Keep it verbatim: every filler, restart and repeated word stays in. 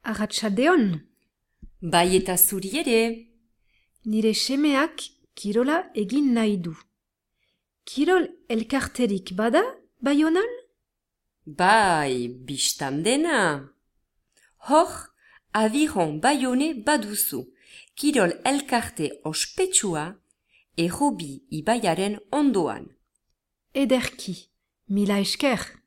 Arratsaldeon. Bai eta zuri ere. Nire semeak kirola egin nahi du. Kirol elkarterik bada, Baionan? Bai, bistan dena. Hor, aviron Baione baduzu. Kirol elkarte ospetsua, Errobi ibaiaren ondoan. Ederki, mila esker.